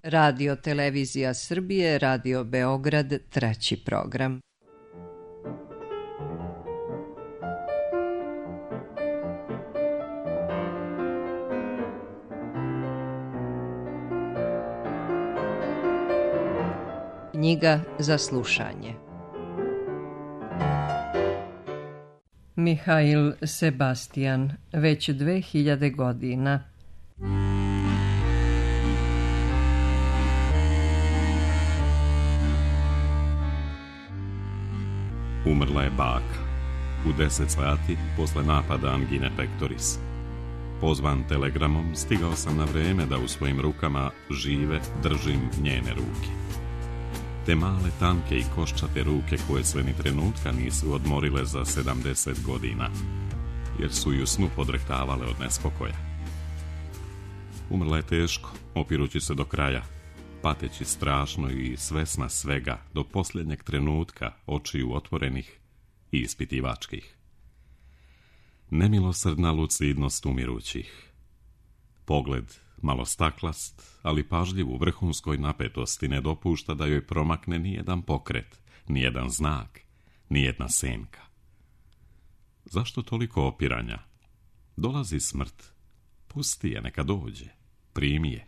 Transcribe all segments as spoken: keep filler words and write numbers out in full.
Radio Televizija Srbije, Radio Beograd, treći program. Knjiga za slušanje. Mihail Sebastian, već dve hiljade godina. Umrla je baka. U deset sati posle napada angine pectoris. Pozvan telegramom, stigao sam na vreme da u svojim rukama žive držim njene ruke. Te male, tanke i koščate ruke koje sve ni trenutka nisu odmorile za sedamdeset godina, jer su ju snu podrehtavale od nespokoja. Umrla je teško, opirući se do kraja, pateći strašno i svesna svega do posljednjeg trenutka, očiju otvorenih i ispitivačkih. Nemilosrdna lucidnost umirućih. Pogled malo staklast, ali pažljiv u vrhunskoj napetosti ne dopušta da joj promakne nijedan pokret, nijedan znak, nijedna senka. Zašto toliko opiranja? Dolazi smrt. Pusti je, neka dođe. Primi je.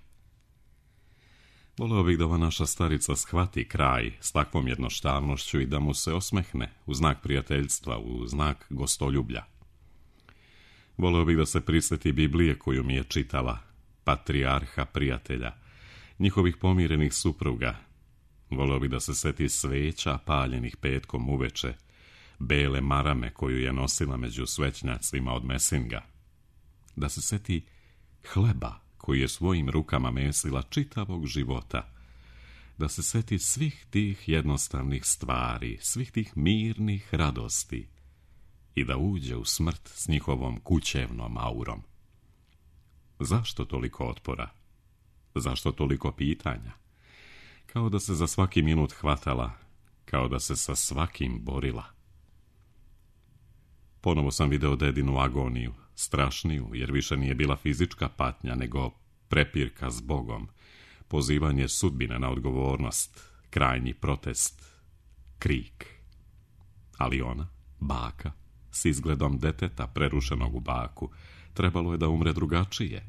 Voleo bih da ova naša starica shvati kraj s takvom jednostavnošću i da mu se osmehne u znak prijateljstva, u znak gostoljublja. Voleo bih da se prisjeti Biblije koju mi je čitala, patrijarha prijatelja, njihovih pomirenih supruga. Voleo bih da se seti sveća paljenih petkom uveče, bele marame koju je nosila među svećnjacima od Mesinga. Da se seti hleba koji je svojim rukama mesila čitavog života. Da se seti svih tih jednostavnih stvari, svih tih mirnih radosti i da uđe u smrt s njihovom kućevnom aurom. Zašto toliko otpora? Zašto toliko pitanja? Kao da se za svaki minut hvatala, kao da se sa svakim borila. Ponovo sam video dedinu agoniju, strašniju, jer više nije bila fizička patnja, nego prepirka s Bogom, pozivanje sudbine na odgovornost, krajnji protest, krik. Ali ona, baka, s izgledom deteta prerušenog u baku, trebalo je da umre drugačije,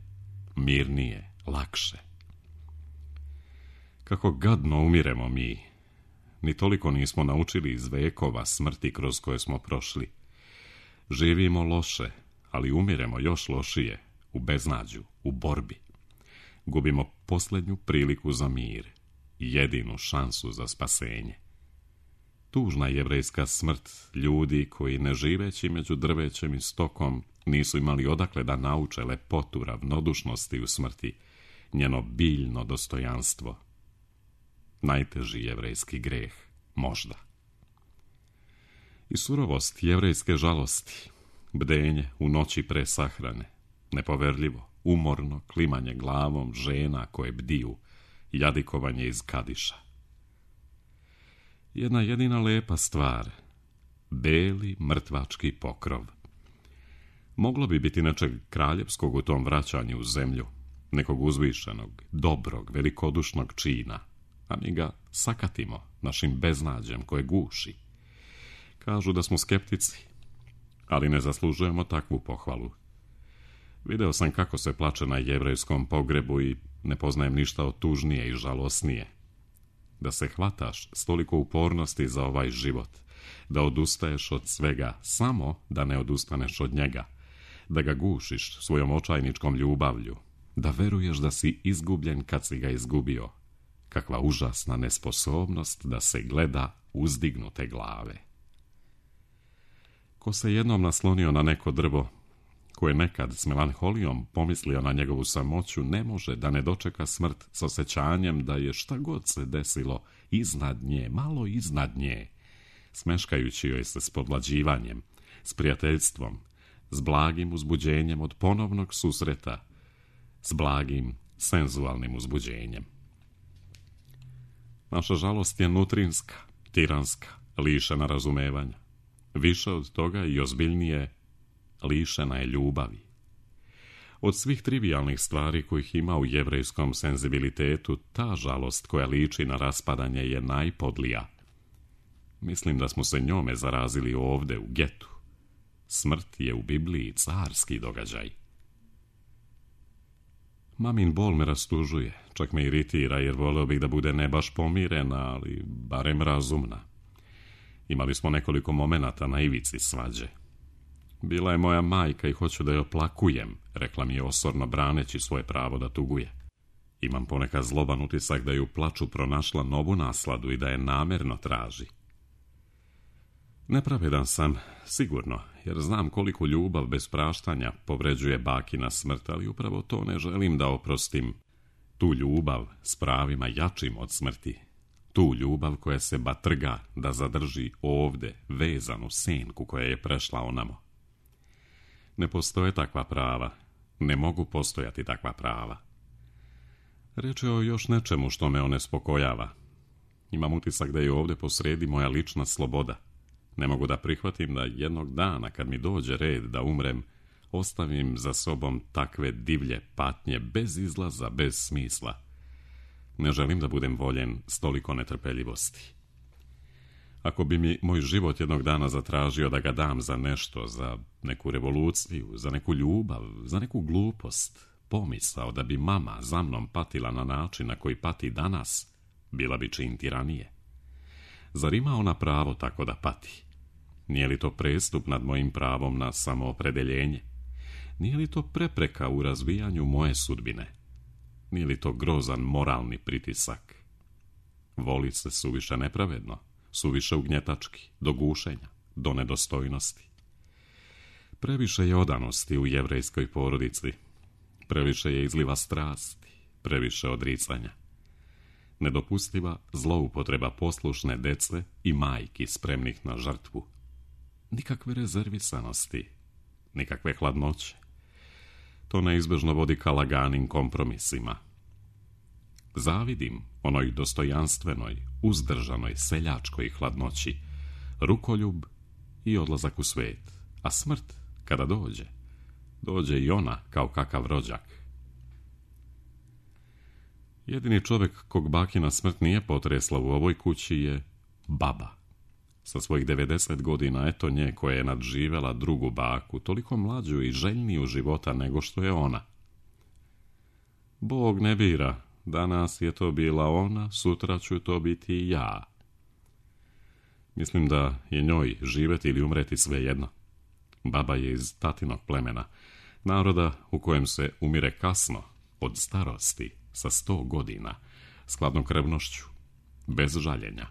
mirnije, lakše. Kako gadno umiremo mi, ni toliko nismo naučili iz vekova smrti kroz koje smo prošli. Živimo loše, ali umiremo još lošije, u beznađu, u borbi. Gubimo posljednju priliku za mir, jedinu šansu za spasenje. Tužna jevrejska smrt ljudi koji, ne živeći među drvećem i stokom, nisu imali odakle da nauče lepotu ravnodušnosti u smrti, njeno biljno dostojanstvo. Najteži jevrejski greh, možda. I surovost jevrejske žalosti, bdenje u noći pre sahrane, nepoverljivo, umorno klimanje glavom žena koje bdiju, jadikovanje iz kadiša. Jedna jedina lepa stvar, beli mrtvački pokrov. Moglo bi biti nečeg kraljevskog u tom vraćanju u zemlju, nekog uzvišenog, dobrog, velikodušnog čina, a mi ga sakatimo našim beznađem koje guši. Kažu da smo skeptici, ali ne zaslužujemo takvu pohvalu. Video sam kako se plače na jevrejskom pogrebu i ne poznajem ništa od tužnije i žalosnije. Da se hvataš s toliko upornosti za ovaj život, da odustaješ od svega, samo da ne odustaneš od njega, da ga gušiš svojom očajničkom ljubavlju, da veruješ da si izgubljen kad si ga izgubio. Kakva užasna nesposobnost da se gleda uzdignute glave. Ko se jednom naslonio na neko drvo, ko je nekad s melanholijom pomislio na njegovu samoću, ne može da ne dočeka smrt s osjećanjem da je šta god se desilo iznad nje, malo iznad nje, smeškajući joj se s podlađivanjem, s prijateljstvom, s blagim uzbuđenjem od ponovnog susreta, s blagim senzualnim uzbuđenjem. Naša žalost je nutrinska, tiranska, lišena razumevanja. Više od toga i ozbiljnije, lišena je ljubavi. Od svih trivijalnih stvari kojih ima u jevrejskom senzibilitetu, ta žalost koja liči na raspadanje je najpodlija. Mislim da smo se njome zarazili ovde u getu. Smrt je u Bibliji carski događaj. Mamin bol me rastužuje, čak me iritira jer voleo bih da bude ne baš pomirena, ali barem razumna. Imali smo nekoliko momenata na ivici svađe. Bila je moja majka i hoću da je oplakujem, rekla mi je osorno braneći svoje pravo da tuguje. Imam ponekad zloban utisak da je u plaču pronašla novu nasladu i da je namerno traži. Nepravedan sam, sigurno, jer znam koliko ljubav bez praštanja povređuje bakina smrt, ali upravo to ne želim da oprostim. Tu ljubav s pravima jačim od smrti. Tu ljubav koja se batrga da zadrži ovde vezanu senku koja je prešla onamo. Ne postoje takva prava, ne mogu postojati takva prava. Reč je o još nečemu što me onespokojava. Imam utisak da je ovde posredi moja lična sloboda. Ne mogu da prihvatim da jednog dana, kad mi dođe red da umrem, ostavim za sobom takve divlje patnje bez izlaza, bez smisla. Ne želim da budem voljen s toliko netrpeljivosti. Ako bi mi moj život jednog dana zatražio da ga dam za nešto, za neku revoluciju, za neku ljubav, za neku glupost, pomisao da bi mama za mnom patila na način na koji pati danas, bila bi čin tiranije. Zar ima ona pravo tako da pati? Nije li to prestup nad mojim pravom na samoopredeljenje? Nije li to prepreka u razvijanju moje sudbine? Nije li to grozan moralni pritisak? Voli se suviše nepravedno, suviše ugnjetački, do gušenja, do nedostojnosti. Previše je odanosti u jevrejskoj porodici, previše je izliva strasti, previše odricanja. Nedopustiva zloupotreba poslušne dece i majki spremnih na žrtvu. Nikakve rezervisanosti, nikakve hladnoće. To neizbežno vodi ka laganim kompromisima. Zavidim onoj dostojanstvenoj, uzdržanoj, seljačkoj hladnoći, rukoljub i odlazak u svet, a smrt, kada dođe, dođe i ona kao kakav rođak. Jedini čovjek kog bakina smrt nije potresla u ovoj kući je baba. Sa svojih devedeset godina, eto nje koja je nadživela drugu baku, toliko mlađu i željniju života nego što je ona. Bog ne bira, danas je to bila ona, sutra ću to biti i ja. Mislim da je njoj živjeti ili umreti svejedno. Baba je iz tatinog plemena, naroda u kojem se umire kasno, od starosti, sa sto godina, s hladnokrvnošću, bez žaljenja.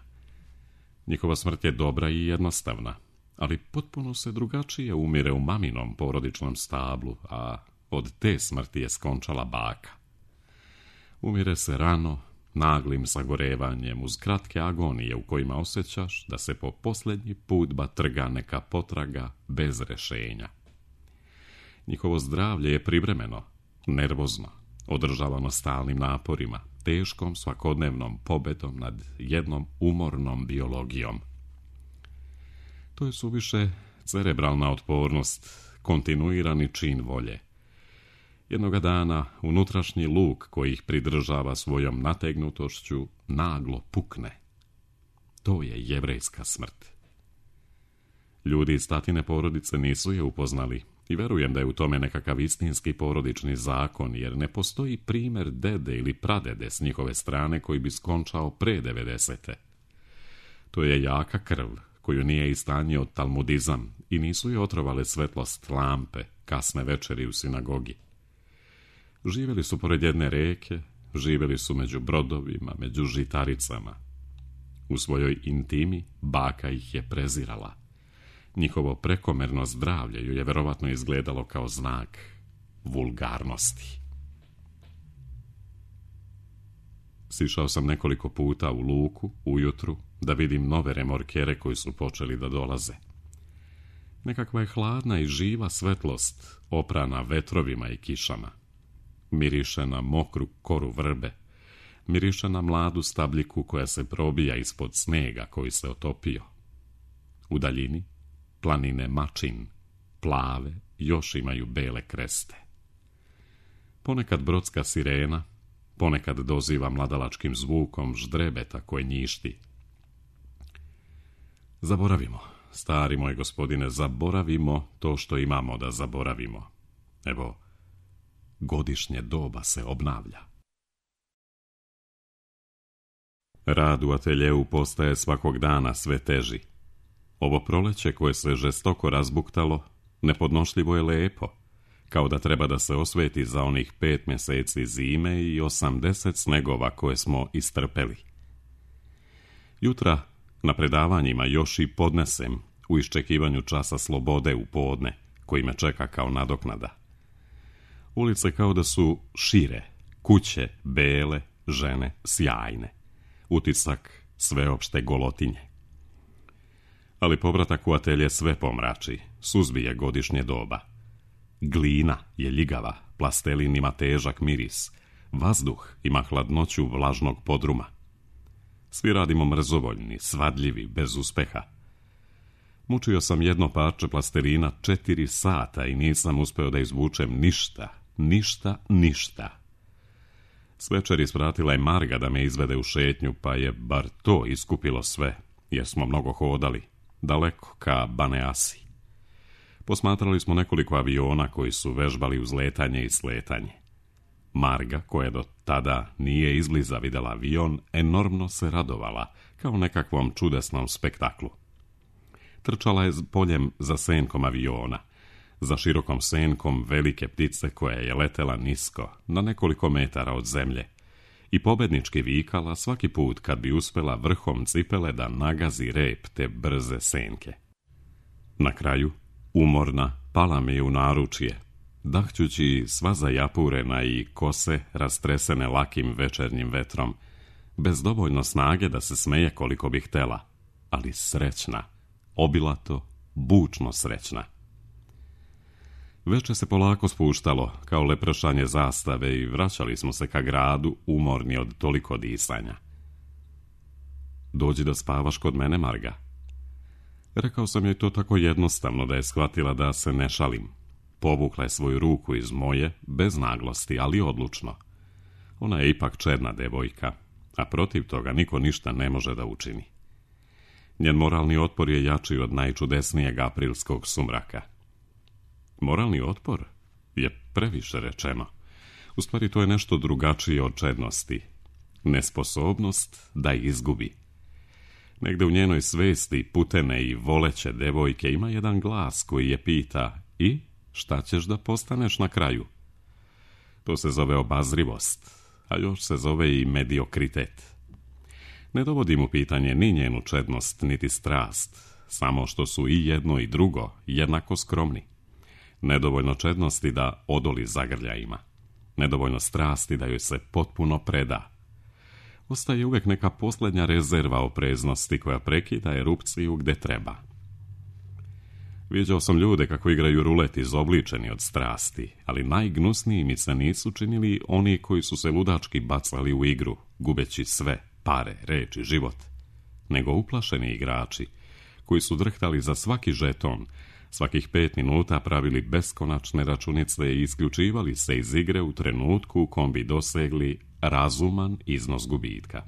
Njihova smrt je dobra i jednostavna, ali potpuno se drugačije umire u maminom porodičnom stablu, a od te smrti je skončala baka. Umire se rano, naglim sagorevanjem, uz kratke agonije u kojima osjećaš da se po posljednji put batrga neka potraga bez rešenja. Njihovo zdravlje je privremeno, nervozno, održavano stalnim naporima, teškom svakodnevnom pobedom nad jednom umornom biologijom. To je suviše cerebralna otpornost, kontinuirani čin volje. Jednoga dana unutrašnji luk koji ih pridržava svojom nategnutošću naglo pukne. To je jevrejska smrt. Ljudi iz tatine porodice nisu je upoznali i verujem da je u tome nekakav istinski porodični zakon, jer ne postoji primjer dede ili pradede s njihove strane koji bi skončao pre devedesete. To je jaka krv koju nije istanjio talmudizam i nisu je otrovale svetlost lampe, kasne večeri u sinagogi. Živjeli su pored jedne reke, živjeli su među brodovima, među žitaricama. U svojoj intimi baka ih je prezirala. Njihovo prekomerno zdravlje ju je verovatno izgledalo kao znak vulgarnosti. Sišao sam nekoliko puta u luku, ujutru, da vidim nove remorkere koji su počeli da dolaze. Nekakva je hladna i živa svetlost, oprana vetrovima i kišama. Miriše na mokru koru vrbe, miriše na mladu stabljiku koja se probija ispod snega koji se otopio. U daljini planine Mačin, plave, još imaju bele kreste. Ponekad brodska sirena, ponekad doziva mladalačkim zvukom ždrebeta koje njišti. Zaboravimo, stari moj gospodine, zaboravimo to što imamo da zaboravimo. Evo, godišnje doba se obnavlja. Rad u ateljeu postaje svakog dana sve teži. Ovo proleće koje se žestoko razbuktalo, nepodnošljivo je lepo, kao da treba da se osveti za onih pet mjeseci zime i osamdeset snegova koje smo istrpeli. Jutra na predavanjima još i podnesem u iščekivanju časa slobode u podne, koji me čeka kao nadoknada. Ulice kao da su šire, kuće bele, žene sjajne, utisak sveopšte golotinje. Ali povratak u atelje sve pomrači, suzbije godišnje doba. Glina je ljigava, plastelin ima težak miris, vazduh ima hladnoću vlažnog podruma. Svi radimo mrzovoljni, svadljivi, bez uspeha. Mučio sam jedno parče plastelina četiri sata i nisam uspeo da izvučem ništa, ništa, ništa. S večeri ispratila je Marga da me izvede u šetnju, pa je bar to iskupilo sve, jer smo mnogo hodali, daleko ka Baneasi. Posmatrali smo nekoliko aviona koji su vežbali uzletanje i sletanje. Marga, koja do tada nije izbliza videla avion, enormno se radovala, kao nekakvom čudesnom spektaklu. Trčala je poljem za senkom aviona, za širokom senkom velike ptice koja je letela nisko, na nekoliko metara od zemlje, i pobednički vikala svaki put kad bi uspela vrhom cipele da nagazi rep te brze senke. Na kraju, umorna, pala mi je u naručje, dahćući sva zajapurena i kose rastresene lakim večernjim vetrom, bez dovoljno snage da se smeje koliko bi htela, ali srećna, obilato, bučno srećna. Veče se polako spuštalo, kao lepršanje zastave, i vraćali smo se ka gradu, umorni od toliko disanja. Dođi da spavaš kod mene, Marga. Rekao sam joj to tako jednostavno da je shvatila da se ne šalim. Povukla je svoju ruku iz moje, bez naglosti, ali odlučno. Ona je ipak čedna devojka, a protiv toga niko ništa ne može da učini. Njen moralni otpor je jači od najčudesnijeg aprilskog sumraka. Moralni otpor je previše rečeno. U stvari to je nešto drugačije od čednosti. Nesposobnost da izgubi. Negde u njenoj svesti putene i voleće devojke ima jedan glas koji je pita: i šta ćeš da postaneš na kraju? To se zove obazrivost, a još se zove i mediokritet. Ne dovodim u pitanje ni njenu čednost, niti strast, samo što su i jedno i drugo jednako skromni. Nedovoljno čednosti da odoli zagrljajima, nedovoljno strasti da joj se potpuno preda. Ostaje uvek neka posljednja rezerva opreznosti koja prekida erupciju gde treba. Viđao sam ljude kako igraju rulet izobličeni od strasti, ali najgnusniji mi se nisu činili oni koji su se ludački bacali u igru, gubeći sve, pare, reči, život, nego uplašeni igrači, koji su drhtali za svaki žeton, svakih pet minuta pravili beskonačne računice i isključivali se iz igre u trenutku u kom bi dosegli razuman iznos gubitka.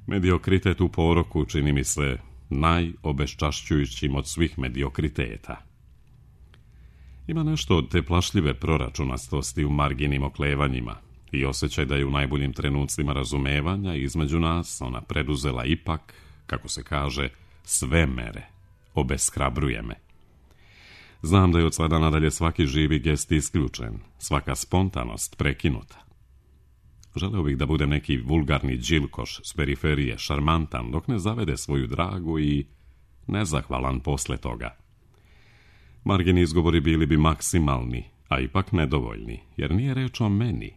Mediokritet u poroku čini mi se najobeščašćujućim od svih mediokriteta. Ima nešto od te plašljive proračunastosti u Marginim oklevanjima i osjećaj da je u najboljim trenucima razumevanja između nas ona preduzela ipak, kako se kaže, sve mere. Obeshrabruje me. Znam da je od sada nadalje svaki živi gest isključen, svaka spontanost prekinuta. Želeo bih da budem neki vulgarni džilkoš s periferije, šarmantan, dok ne zavede svoju dragu i nezahvalan posle toga. Margini izgovori bili bi maksimalni, a ipak nedovoljni, jer nije reč o meni.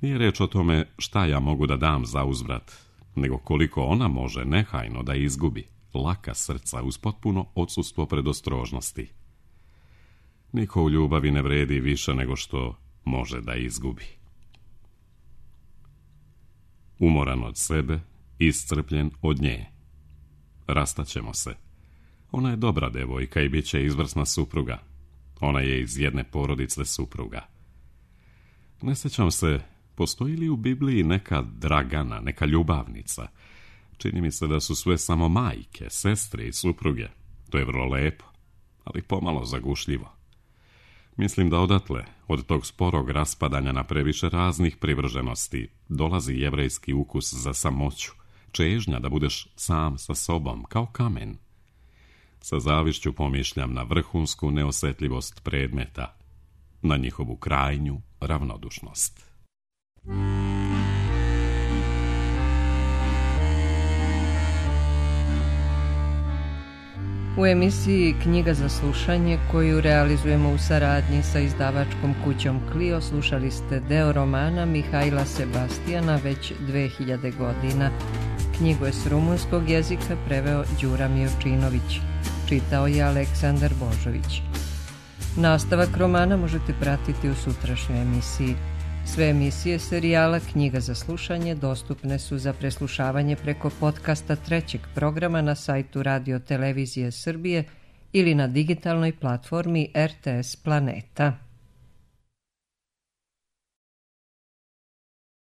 Nije reč o tome šta ja mogu da dam za uzvrat, nego koliko ona može nehajno da izgubi, laka srca uz potpuno odsustvo predostrožnosti. Niko u ljubavi ne vredi više nego što može da izgubi. Umoran od sebe, iscrpljen od nje. Rastaćemo se. Ona je dobra devojka i bit će izvrsna supruga. Ona je iz jedne porodice supruga. Ne sjećam se, postoji li u Bibliji neka Dragana, neka ljubavnica? Čini mi se da su sve samo majke, sestre i supruge. To je vrlo lepo, ali pomalo zagušljivo. Mislim da odatle, od tog sporog raspadanja na previše raznih privrženosti, dolazi jevrejski ukus za samoću, čežnja da budeš sam sa sobom, kao kamen. Sa zavišću pomišljam na vrhunsku neosjetljivost predmeta, na njihovu krajnju ravnodušnost. U emisiji Knjiga za slušanje, koju realizujemo u saradnji sa izdavačkom kućom Clio, slušali ste deo romana Mihajla Sebastijana Već dve hiljade godina. Knjigu je s rumunskog jezika preveo Đura Mijovčinović. Čitao je Aleksandar Božović. Nastavak romana možete pratiti u sutrašnjoj emisiji. Sve emisije serijala Knjiga za slušanje dostupne su za preslušavanje preko podcasta trećeg programa na sajtu Radio Televizije Srbije ili na digitalnoj platformi R T S Planeta.